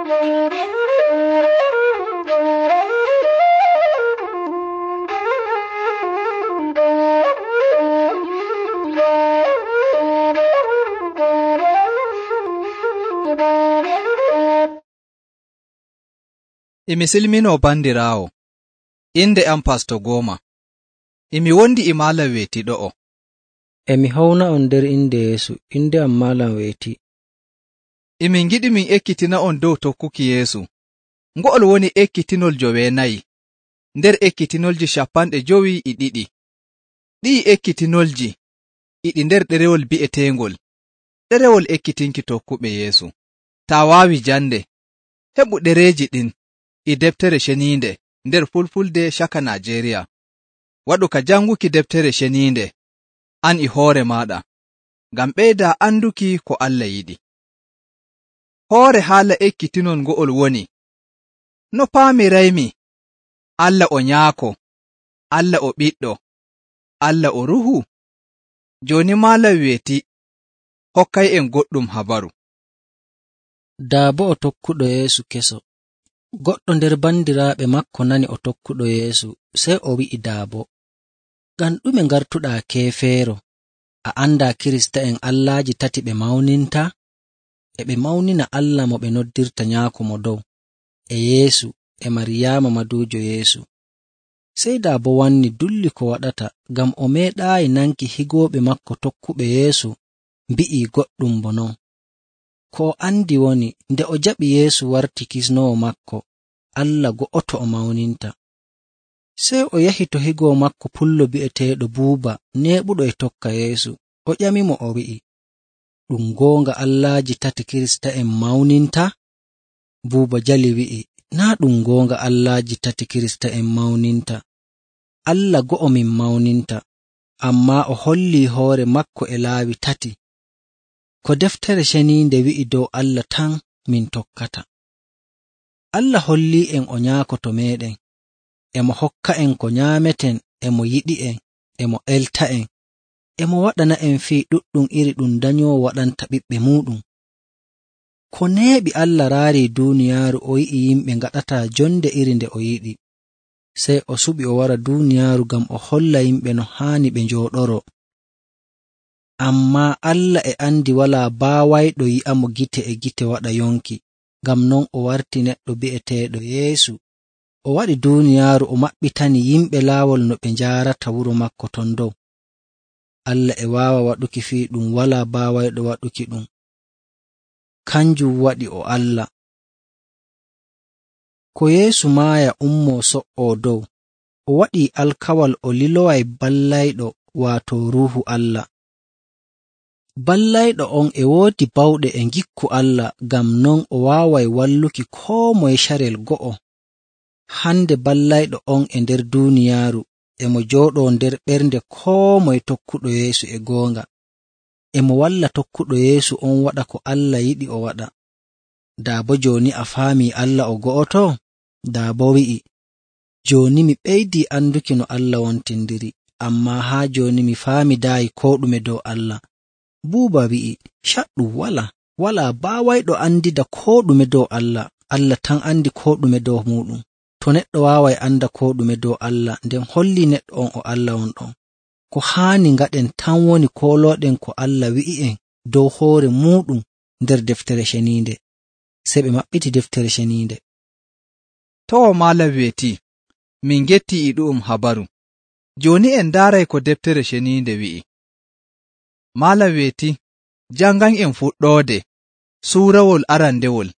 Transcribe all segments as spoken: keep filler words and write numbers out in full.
Imi silminoo bandiraawo, inde am Pasto Gooma. Imi wondi e Maalam Weeti ɗo'o. Emi hawna on nder inde Yeesu, inde am Maalam Weeti. Imi ngiɗi min ekkitina on dow tokkuki Yeesu. Ngo'ol woni ekkitinol joweenayi, nder ekkitinolji cappanɗe jowi e ɗiɗi. Ɗi'i ekkitinolji iɗi nder ɗerewol bi'eteengol, ɗerewol ekkitinki tokkuɓe Yeesu. Taa waawi jande, heɓu ɗereeji ɗin e deftere ceniinde nder Fulfulde caka Najeeriya. Waɗu ka janguki deftere ceniinde, an e hoore maaɗa, ngam ɓeydaa anduki ko Allah yiɗi. Hoore haala ekkitinol ngo'ol woni, no paamiraymi, Allah o Nyaako, Allah o Ɓiɗɗo, Allah o Ruuhu. Jooni Maalam Weeti hokkay'en goɗɗum habaru. Daabo o tokkuɗo Yeesu keso. Goɗɗo nder bandiraaɓe makko nani o tokkuɗo Yeesu, sey o wi'i Daabo, ngam ɗume ngartuɗaa keefeero, a andaa Kirista'en allaaji tati ɓe mawninta? E ɓe mawnina Allah mo ɓe noddirta Nyaako mo dow, e Yeesu, e Maryaama maduujo Yeesu. Sey Daabo wanni dulli ko waɗata, ngam o meeɗaayi nanki higooɓe makko tokkuɓe Yeesu mbi'ii goɗɗum bo non. Ko o andi woni, nde o jaɓi Yeesu warti kisnoowo makko, Allah go'oto o mawninta. Sey o yahi to higoo makko pullo bi'eteeɗo Buuba, neeɓuɗo e tokka Yeesu. O ƴamimo o wi'i, ɗum goonga allaaji tati Kirista'en mawninta? Buuba jali wi'i, naa ɗum goonga allaaji tati Kirista'en mawninta. Allah go'o min mawninta, ammaa o hollii hoore makko e laawi tati. Ko deftere ceniinde wi'i dow Allah tan min tokkata. Allah hollii'en o Nyaako to meeɗen, emo hokka'en ko nyaameten, emo yiɗi'en, emo elta'en, emo waɗana'en fii ɗuɗɗum iri ɗum danyoowo waɗanta ɓiɓɓe muuɗum. Ko neeɓi Allah raarii duuniyaaru o yi'i yimɓe ngaɗataa jonde iri nde o yiɗi, sey o suɓi o wara duuniyaaru ngam o holla yimɓe no haani ɓe njooɗoro. Ammaa Allah e andi walaa baawayɗo yi'amo gite e gite waɗa yonki, ngam non o warti neɗɗo bi'eteeɗo Yeesu. O waɗi duuniyaaru o maɓɓitani yimɓe laawol no ɓe njaarata wuro makko ton dow. Allah e waawa waɗuki fii ɗum walaa baawayɗo waɗuki ɗum. Kanjum waɗi o Allah. Ko Yeesu maaya ummoo so''oo dow, o waɗii alkawal o liloway ballayɗo, waato Ruuhu Allah. Ballayɗo on e woodi bawɗe e ngikku Allah, ngam non o waaway walluki koo moye carel go'o. Hande ballayɗo on e nder duuniyaaru, emo jooɗoo nder ɓernde koo moye tokkuɗo Yeesu e goonga. Emo walla tokkuɗo Yeesu on waɗa ko Allah yiɗi o waɗa. Daabo jooni a faamii Allah o go'oto? Daabo wi'i, jooni mi ɓeydii anduki no Allah wontindiri, ammaa haa jooni mi faamidaayi koo ɗume dow Allah. Buuba wi'i, caɗɗum walaa, walaa baawayɗo andida koo ɗume dow Allah, Allah tan andi koo ɗume dow muuɗum. To neɗɗo waaway anda koo ɗume dow Allah, nden hollii neɗɗo on o Allah on ɗon. Ko haani ngaɗen tan woni koolooɗen ko Allah wi'i'en dow hoore muuɗum nder deftere ceniinde. Sey ɓe maɓɓiti deftere ceniinde. To Maalam Weeti, min gettii e ɗu'um habaru. Jooni en ndaaray ko deftere ceniinde wi'i. Maalam Weeti, jangan'en fuɗɗoode suurawol arandewol,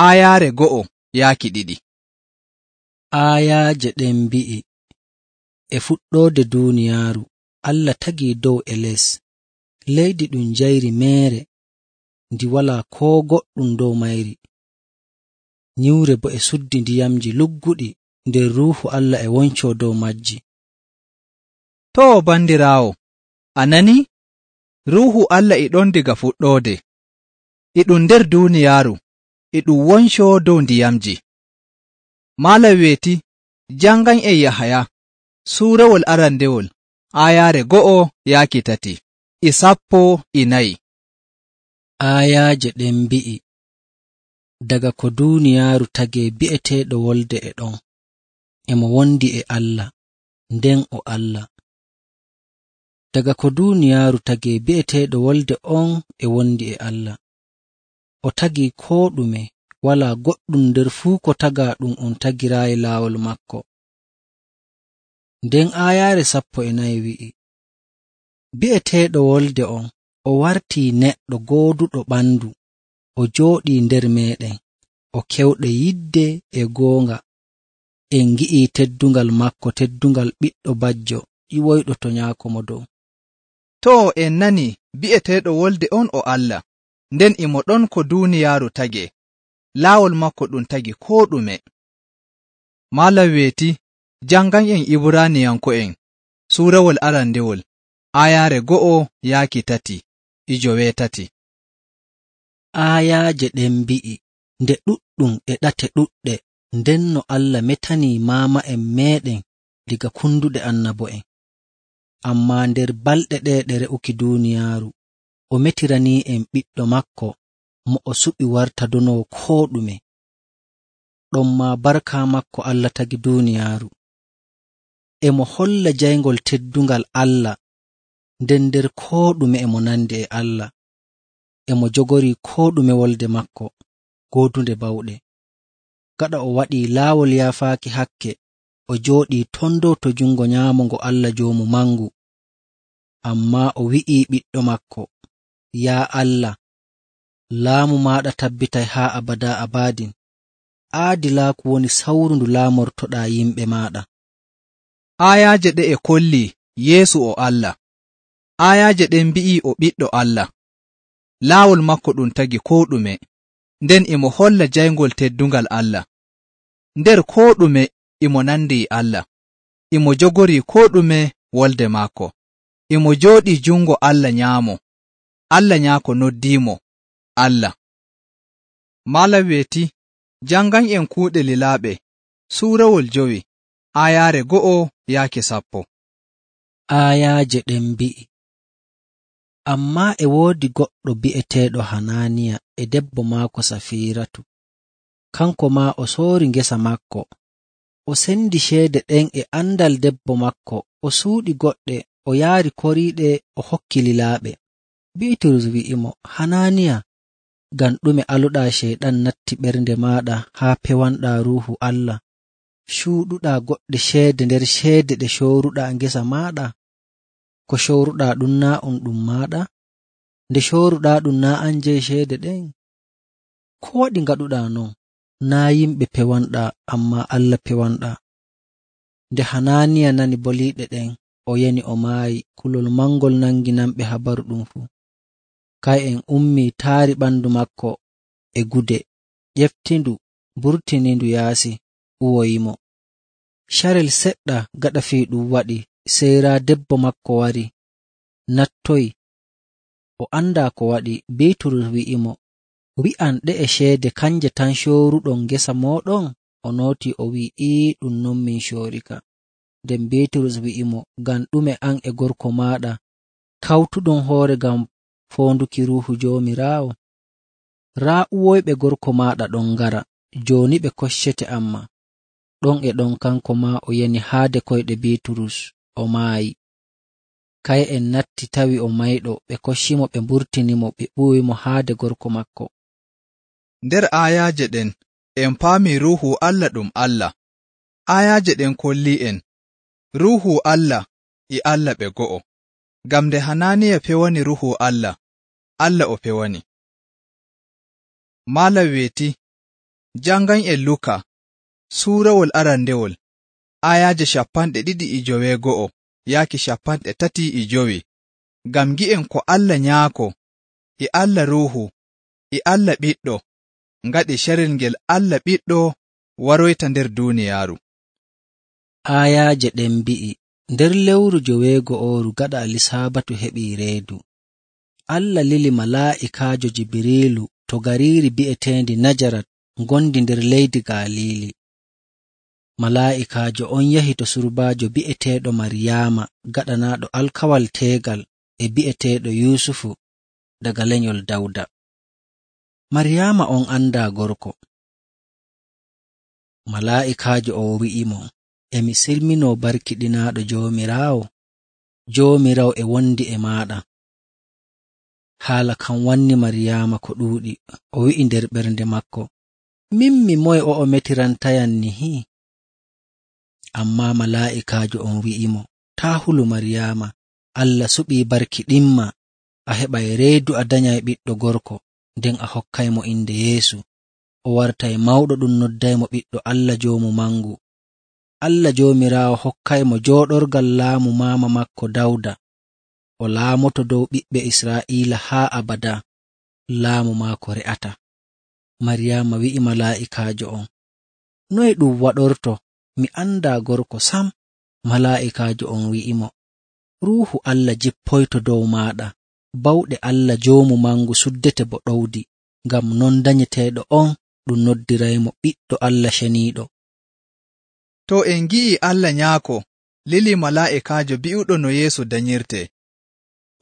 aayaare go'o yaaki ɗiɗi. Aayaaje ɗen mbi'i, e fuɗɗoode duuniyaaru, Allah tagii dow e les, leydi ɗum njayri meere, ndi walaa koo goɗɗum dow mayri. Nyiwre bo e suddi ndiyamji lugguɗi, nder Ruuhu Allah e woncoo dow majji. To bandiraawo, a nani? Ruuhu Allah e ɗon diga fuɗɗoode, e ɗum nder duuniyaaru, e ɗum woncoo dow ndiyamji. Maalam Weeti, jangan'en Yahaya, suurawol arandewol, aayaare go'o yaaki tati, e sappo e nayi. Aayaaje ɗen mbi'i, daga ko duuniyaaru tagee bi'eteeɗo wolde e ɗon, emo wondi e Allah, nden o Allah. Daga ko duuniyaaru tagee bi'eteeɗo wolde on e wondi e Allah. O tagii koo ɗume, walaa goɗɗum nder fuu ko tagaa ɗum on tagiraayi laawol makko. Nden aayaare sappo e nayi wi'i, bi'eteeɗo wolde on, o wartii neɗɗo gooduɗo ɓandu, o jooɗii nder meeɗen, o kewɗe yidde e goonga. En ngi'ii teddungal makko, teddungal ɓiɗɗo bajjo ƴiwoyɗo to nyaako mo dow. Too en nani bi'eteeɗo wolde on o Allah, nden imo ɗon ko duuniyaaru tagee, laawol makko ɗum tagi koo ɗume. Malam weeti, jangan'en Ibraaniyanko'en suurawol arandewol, aayaare go'o yaaki tati e joweetati. Aayaaje ɗen mbi'i, nde ɗuɗɗum e ɗate ɗuɗɗe, ndenno Allah metanii maama'en meeɗen diga kunduɗe annabo'en. Ammaa nder balɗe ɗe ɗe re'uki duuniyaaru, o metiranii'en ɓiɗɗo makko mo o suɓi warta donowo koo ɗume. Ɗonmaa barka makko Allah tagi duuniyaaru. Emo holla jayngol teddungal Allah, nden nder koo ɗume emo nandi e Allah. Emo jogorii koo ɗume wolde makko, goodunde bawɗe. Gaɗa o waɗii laawol yaafaaki hakke, o jooɗii ton dow to jungo nyaamo ngo Allah Joomu Mangu. Ammaa o wi'ii ɓiɗɗo makko, yaa Allah, laamu maaɗa tabbitay haa abadaa abadin. Aadilaaku woni sawru ndu laamortoɗaa yimɓe maaɗa. Aayaaje ɗe e kollii Yeesu o Allah. Aayaaje ɗen mbi'ii o ɓiɗɗo Allah. Laawol makko ɗum tagi koo ɗume, nden imo holla jayngol teddungal Allah. Nder koo ɗume imo nandi e Allah, imo jogorii koo ɗume wolde maako. Imo jooɗii jungo Allah nyaamo. Allah nyaako noddiimo Allah. Malam weeti, jangan'en kuuɗe lilaaɓe suurawol jowi, aayaare go'o yaaki sappo. Aayaaje ɗen mbi'i, ammaa e woodi goɗɗo bi'eteeɗo Hanaaniya e debbo maako Safiiratu. Kanko maa o soori ngesa makko, o sendi ceede ɗen e andal debbo makko, o suuɗi goɗɗe, o yaari koriiɗe, o hokki lilaaɓe. Biiturus wi'imo, Hanaaniya, ngam ɗume aluɗaa ceyɗan natti ɓernde maaɗa haa pewanɗaa Ruuhu Allah, cuuɗuɗaa goɗɗe ceede nder ceede ɗe cooruɗaa ngesa maaɗa? Ko cooruɗaa ɗum naa on ɗum maaɗa? Nde cooruɗaa ɗum naa an jeyi ceede ɗen? Ko waɗi ngaɗuɗaa non? Naa yimɓe pewanɗaa, ammaa Allah pewanɗaa. Nde Hanaaniya nani boliiɗe ɗen, o yani o maayi. Kulol mangol nangi namɓe habaru ɗum fuu. Kay'en ummii taari ɓandu makko e gude, ƴeftindu, mburtinindu yaasi, uwoyimo. Carel seɗɗa gaɗa fii ɗum waɗi, sey raa debbo makko wari, nattoyi. O andaa ko waɗi. Biiturus wi'imo, wi'an ɗe e ceede kanje tan cooruɗon ngesa mooɗon? O nootii o wi'i, ii, ɗum non min coorika. Nden Biiturus wi'imo, ngam ɗume an e gorko maaɗa kawtuɗon hoore ngam foonduki Ruuhu Joomiraawo? Raa uwoyɓe gorko maaɗa ɗon ngara, jooni ɓe koccete amma. Ɗon e ɗon kanko maa o yani haade koyɗe Biiturus, o maayi. Kay'en natti tawi o mayɗo, ɓe koccimo, ɓe mburtinimo, ɓe ɓuwimo haade gorko makko. Nder aayaaje ɗen en paamii Ruuhu Allah ɗum Allah. Aayaaje ɗen kollii'en Ruuhu Allah e Allah ɓe go'o. Ngam nde Hanaaniya pewani Ruuhu Allah, Allah o pewani. Malam weeti, jangan'en Luka suurawol arandewol, aayaaje shappanɗe ɗiɗi e joweego'o yaaki shappanɗe tati e jowi, ngam gi'en ko Allah Nyaako e Allah Ruuhu e Allah Ɓiɗɗo ngaɗi carel ngel Allah Ɓiɗɗo waroyta nder duuniyaaru. Aayaaje ɗen mbi'i, nder lewru joweego'oru gaɗa Alisaabatu heɓii reedu, Allah lili malaa'ikaajo Jibriilu to gariiri bi'eteendi Najarat ngondi nder leydi Galiili. Malaa'ikaajo on yahi to surbaajo bi'eteeɗo Maryaama gaɗanaaɗo alkawal teegal e bi'eteeɗo Yuusufu daga lenyol Dawda. Maryaama on andaa gorko. Malaa'ikaajo o wi'imo, emi silminoo barkiɗinaaɗo Joomiraawo, Joomiraawo e wondi e maaɗa. Haala kan wanni Maryaama ko ɗuuɗi, o wi'i nder ɓernde maako, min mi moye o'o metirantayam nihi? Ammaa malaa'ikaajo on wi'imo, taa hulu Maryaama, Allah suɓii barkiɗinma, a heɓay reedu a danyay ɓiɗɗo gorko, nden a hokkaymo inde Yeesu. O wartay mawɗo ɗum noddaymo ɓiɗɗo Allah Joomu Mangu. Allah Joomiraawo hokkaymo jooɗorgal laamu maama maako Dawda. O laamoto dow ɓiɓɓe Israa'iila haa abada, laamu maako re'ata. Maryaama wi'i malaa'ikaajo on, noye ɗum waɗorto? Mi andaa gorko sam. Malaa'ikaajo on wi'imo, Ruuhu Allah jippoyto dow maaɗa, bawɗe Allah Joomu Mangu suddete bo ɗowdi, ngam non danyeteeɗo on ɗum noddiraymo ɓiɗɗo Allah ceniiɗo. To en ngi'i Allah Nyaako lili malaa'ikaajo bi'uɗo no Yeesu danyirte.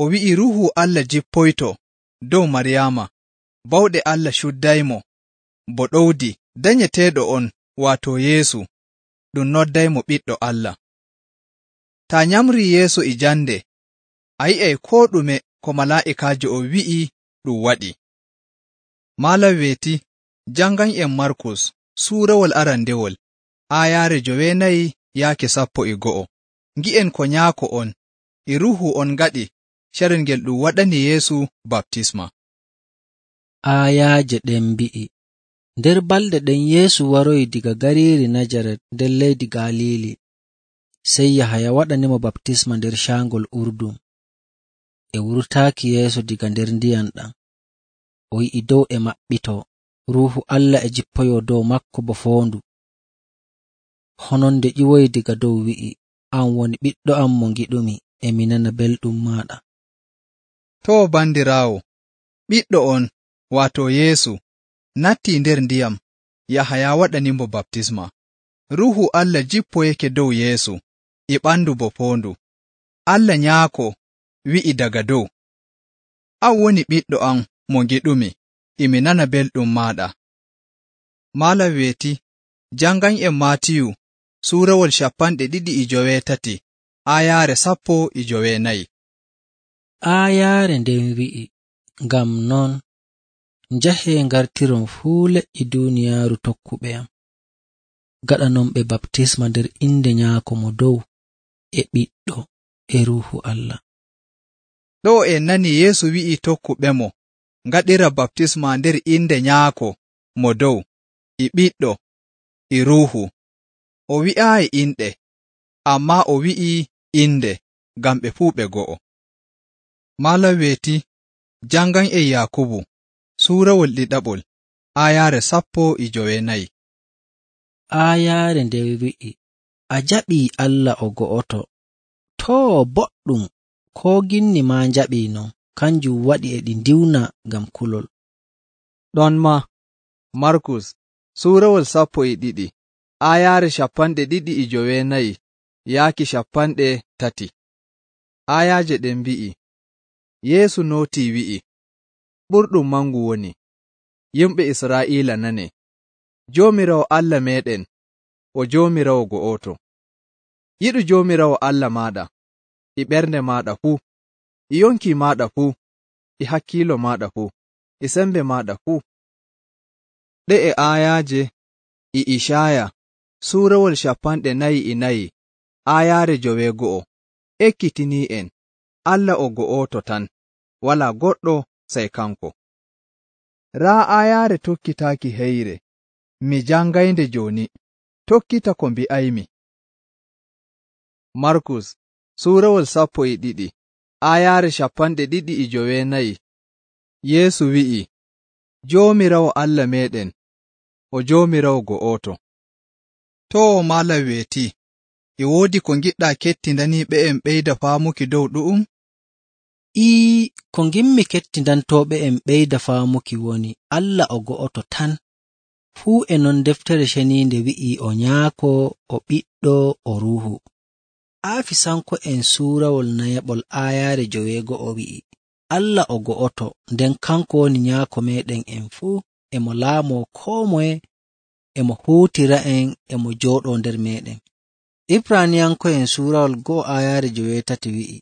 O wi'i Ruuhu Allah jippoyto dow Maryaama, bawɗe Allah cuddaymo bo ɗowdi, danyeteeɗo on waato Yeesu ɗum noddaymo ɓiɗɗo Allah. Ta nyamri Yeesu e jande, a yi'ay koo ɗume ko malaa'ikaajo o wi'i ɗum waɗi. Malam weeti, jangan'en Markus suurawol arandewol, aayaare jowenayi yaake sappo e go'o. Ngi'en ko Nyaako on e Ruuhu on ngaɗi carel ngel ɗum waɗani Yeesu baptisma. Aayaaje ɗen mbi'i, nder balɗe ɗen Yeesu waroyi diga gariiri Najaret nder leydi Galiili. Sey Yahaya waɗanimo baptisma nder caangol Urdun. E wurtaaki Yeesu diga nder ndiyam ɗam, o yi'i dow e maɓɓitoo, Ruuhu Allah e jippoyoo dow makko bo foondu. Hononde ƴiwoyi diga dow wi'i, an woni ɓiɗɗo am mo ngiɗumi, e mi nana belɗum maaɗa. To bandiraawo, ɓiɗɗo on, waato Yeesu, nattii nder ndiyam, Yahaya waɗanimo baptisma. Ruuhu Allah jippoyake dow Yeesu, e ɓandu bo foondu. Allah Nyaako wi'i daga dow, an woni ɓiɗɗo am mo ngiɗumi, e mi nana belɗum maaɗa. Malam weeti, jangan'en Maatiyu suurawol cappanɗe ɗiɗi e joweetati, aayaare sappo e jowenayi. Aayaare nden wi'i, ngam non, njahee ngartiron fuu leƴƴi duuniyaaru tokkuɓe am, gaɗanon ɓe baptisma nder inde Nyaako mo dow, e Ɓiɗɗo, e Ruuhu Allah. Ɗo en nani Yeesu wi'i tokkuɓemo ngaɗira baptisma nder inde Nyaako mo dow, e Ɓiɗɗo, e Ruuhu. O wi'aayi inɗe, ammaa o wi'i inde ngam ɓe fuu ɓe go'o. Malam weeti, jangan'en Yaakubu suurawol ɗiɗaɓol, aayaare sappo e jowenayi. Aayaare nden wi'i, a jaɓii Allah o go'oto. Too boɗɗum, koo ginni maa njaɓii non, kanjum waɗi e ɗi ndiwna ngam kulol. Ɗon ma, Markus suurawol sappo e ɗiɗi, aayaare cappanɗe ɗiɗi e jowenayi yaaki cappanɗe tati. Aayaaje ɗen mbi'i, Yeesu nootii wi'i, ɓurɗum mangu woni, yimɓe Israa'iila nane, Joomiraawo Allah meeɗen, o Joomiraawo go'oto. Yiɗu Joomiraawo Allah maaɗa, e ɓernde maaɗa fuu, e yonki maaɗa fuu, e hakkiilo maaɗa fuu, e sembe maaɗa fuu. Ɗe'e aayaaje e Ishaaya suurawol cappanɗe nayi e nayi, aayaare joweego'o, ekkitinii en, Allah o go'oto tan, walaa goɗɗo sey kanko. Raa aayaare tokkitaaki heyre, mi jangaynde jooni, tokkita ko mbi'aymi. Markus suurawol sappo e ɗiɗi, aayaare cappanɗe ɗiɗi e jowenayi. Yeesu wi'i, Joomiraawo Allah meeɗen, o Joomiraawo go'oto. To malam weeti, e woodi ko ngiɗɗaa kettindaniiɓe'en ɓeyda faamuki dow ɗu'um? Ii, ko ngimmi kettindantooɓe'en ɓeyda faamuki woni Allah o go'oto tan. Fuu e non deftere ceniinde wi'ii o Nyaako, o Ɓiɗɗo, o Ruuhu. Aafisanko'en suurawol nayaɓol aayaare joweego'o wi'i, Allah o go'oto, nden kanko woni nyaako meeɗen en fuu, emo laamoo koo moye, emo huutira'en, emo jooɗoo nder meeɗen. Ibraniyanko'en suurawol go'o aayaare joweetati wi'i,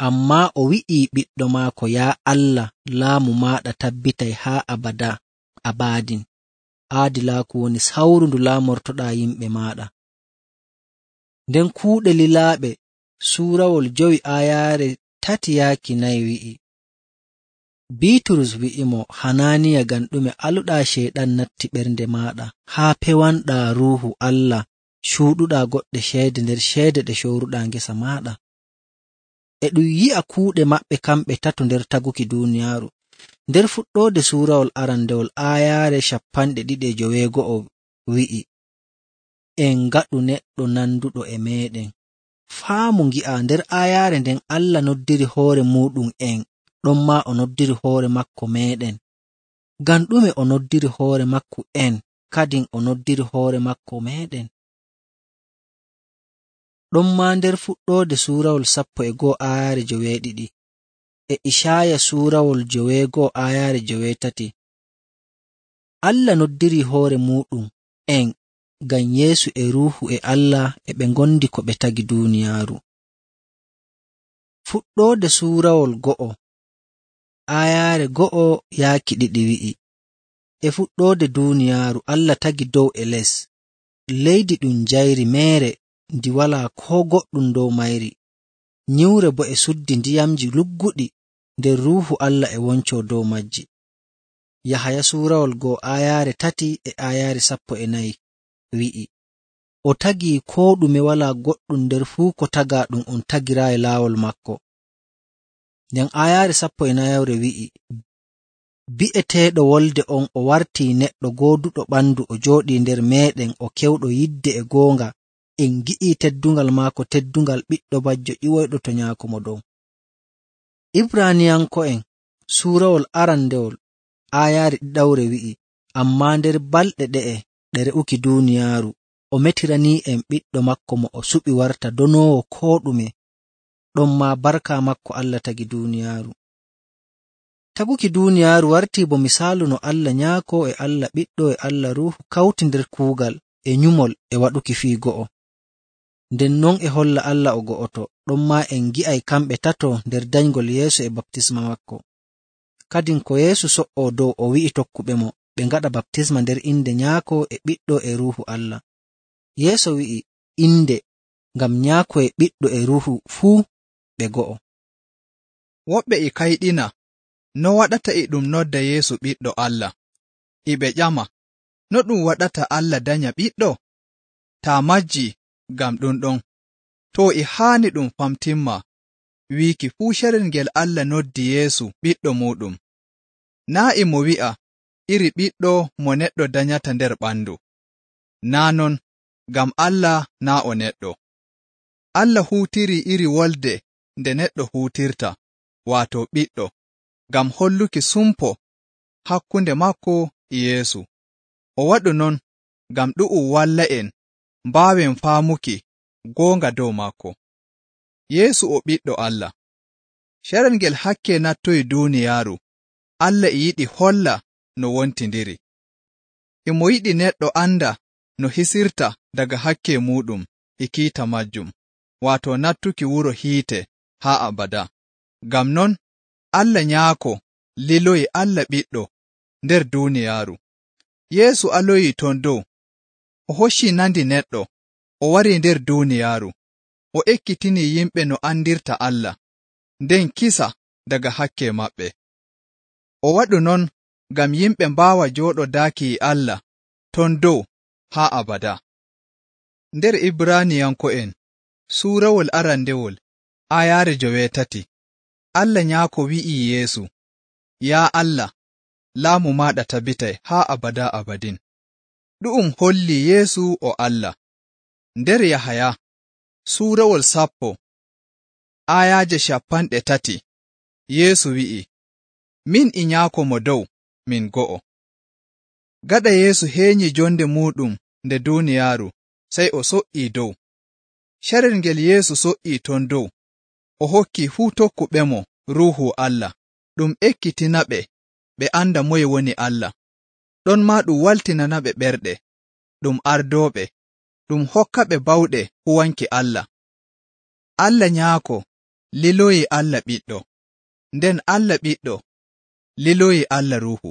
ammaa o wi'ii ɓiɗɗo maako, yaa Allah, laamu maaɗa tabbitay haa abada abaadin. Aadilaaku woni sawru ndu laamortoɗaa yimɓe maaɗa. Nden kuuɗe lilaaɓe suurawol jowi aayaare tati yaaki nayi wi'i, Biiturus wi'imo, Hanaaniya, ngam ɗume aluɗaa Ceyɗan natti ɓernde maaɗa, haa pewanɗaa Ruuhu Allah, cuuɗuɗaa goɗɗe ceede nder ceede ɗe cowruɗaa ngesa maaɗa? E ɗum yi'a kuuɗe maɓɓe kamɓe tato nder taguki duuniyaaru. Nder fuɗɗoode suurawol arandewol aayaare cappanɗe ɗiɗi e joweego'o wi'i, en ngaɗu neɗɗo nanduɗo e meeɗen. Faamu ngi'a, nder aayaare nden Allah noddiri hoore muuɗum en, ɗon maa o noddiri hoore makko meeɗen. Ngam ɗume o noddiri hoore makko en, kadin o noddiri hoore makko meeɗen? Ɗon maa nder fuɗɗoode suurawol sappo e go'o aayaare joweeɗiɗi e Icaaya suurawol joweego'o aayaare joweetati, Allah noddiri hoore muuɗum en ngam Yeesu e Ruuhu e Allah e ɓe ngondi ko ɓe tagi duuniyaaru. Fuɗɗoode suurawol go'o aayaare go'o yaaki ɗiɗi wi'i, e fuɗɗoode duuniyaaru Allah tagi dow e les, leydi ɗum njayri meere ndi walaa koo goɗɗum dow mayri, nyiwre bo e suddi ndiyamji lugguɗi nder Ruuhu Allah e woncoo dow majji. Yahaya suurawol go'o aayaare tati e aayaare sappo e nayi wi'i, o tagii koo ɗume, walaa goɗɗum nder fuu ko tagaa ɗum on tagiraayi laawol makko. Nden aayaare sappo e nayawre wi'i, bi'eteeɗo wolde on o wartii neɗɗo gooduɗo ɓandu, o jooɗii nder meeɗen, o kewɗo yidde e goonga, en ngi'ii teddungal maako, teddungal ɓiɗɗo bajjo ƴiwoyɗo to nyaako mo dow. Ibraniyanko'en suurawol arandewol aayaare ɗiɗawre wi'i, ammaa nder balɗe ɗe'e ɗe re'uki duuniyaaru, o metiranii'en ɓiɗɗo makko mo o suɓi warta donoowo koo ɗume, ɗon maa barka makko Allah tagi duuniyaaru. Taguki duuniyaaru wartii bo misaalu no Allah Nyaako e Allah Ɓiɗɗo e Allah Ruuhu kawti nder kuugal e nyumol e waɗuki fii go'o. Nden non e holla Allah o go'oto, ɗon maa en ngi'ay kamɓe tato nder danyngol Yeesu e baptisma makko. Kadin ko Yeesu so''oo dow, o wi'i tokkuɓe mo ɓe ngaɗa baptisma nder inde Nyaako e Ɓiɗɗo e Ruuhu Allah. Yeesu wi'i inde, ngam Nyaako e Ɓiɗɗo e Ruuhu fuu ɓe go'o. Woɓɓe e kayɗina no waɗata e ɗum nodda Yeesu Ɓiɗɗo Allah, e ɓe ƴama, no ɗum waɗata Allah danya ɓiɗɗo? Taa majji ngam ɗum ɗon, to e haani ɗum famtimma wiiki fuu carel ngel Allah noddi Yeesu ɓiɗɗo muuɗum, naa e mo wi'a iri ɓiɗɗo mo neɗɗo danyata nder ɓandu. Naa non, ngam Allah naa o neɗɗo. Allah huutiri iri wolde nde neɗɗo huutirta, waato ɓiɗɗo, ngam holluki sumpo hakkunde maako e Yeesu. O waɗu non ngam ɗu'um walla'en mbaawen faamuki goonga dow maako. Yeesu o ɓiɗɗo Allah. Carel ngel hakke nattoyi duuniyaaru, Allah e yiɗi holla no wontindiri. E mo yiɗi neɗɗo anda no hisirta daga hakke muuɗum e kiita majjum, waato nattuki wuro hiite haa abada. Ngam non, Allah Nyaako liloyi Allah Ɓiɗɗo nder duuniyaaru. Yeesu aloyi ton dow, o hocci nandi neɗɗo, o wari nder duuniyaaru, o ekkitini yimɓe no andirta Allah, nden kisa daga hakke maɓɓe. O waɗu non ngam yimɓe mbaawa jooɗodaaki e Allah ton dow haa abada. Nder Ibraniyanko'en suurawol arandewol aayaare joweetati, Allah Nyaako wi'ii Yeesu, yaa Allah, laamu maaɗa tabbitay haa abada abadin. Ɗu'um holli Yeesu o Allah. Nder Yahaya suurawol sappo aayaaje cappanɗe tati, Yeesu wi'i, min e Nyaako mo dow min go'o. Gaɗa Yeesu heenyi jonde muuɗum nde duuniyaaru, sey o so'ii dow. Carel ngel Yeesu so'ii ton dow, o hokki fuu tokkuɓemo Ruuhu Allah, ɗum ekkitinaɓe ɓe anda moye woni Allah. Ɗon maa ɗum waltinanaɓe ɓerɗe, ɗum ardooɓe, ɗum hokkaɓe bawɗe huwanki Allah. Allah Nyaako liloyi Allah Ɓiɗɗo, nden Allah Ɓiɗɗo liloyi Allah Ruuhu.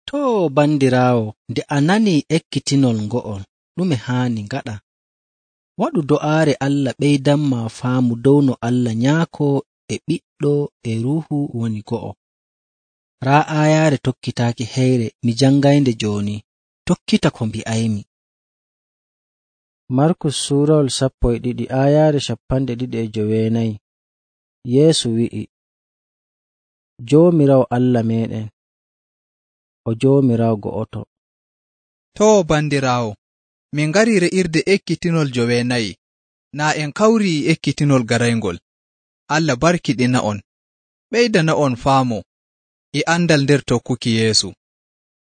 Too bandiraawo, nde a nanii ekkitinol ngo'ol, ɗume haani ngaɗa? Waɗu do'aare Allah ɓeydanma faamu dow no Allah Nyaako e Ɓiɗɗo e Ruuhu woni go'o. Raa aayaare tokkitaaki heyre mi jangaynde jooni, tokkita ko mbi'aymi. Markus suurawol sappo e ɗiɗi aayaare cappanɗe ɗiɗi e joweenayi. Yeesu wi'i, Joomiraawo Allah meeɗen, o Joomiraawo go'oto. Too bandiraawo, min ngarii re'irde ekkitinol joweenayi, naa en kawrii ekkitinol garayngol. Allah barkiɗina'on, ɓeydana'on faamu e andal nder tokkuki Yeesu.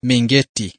Min getti.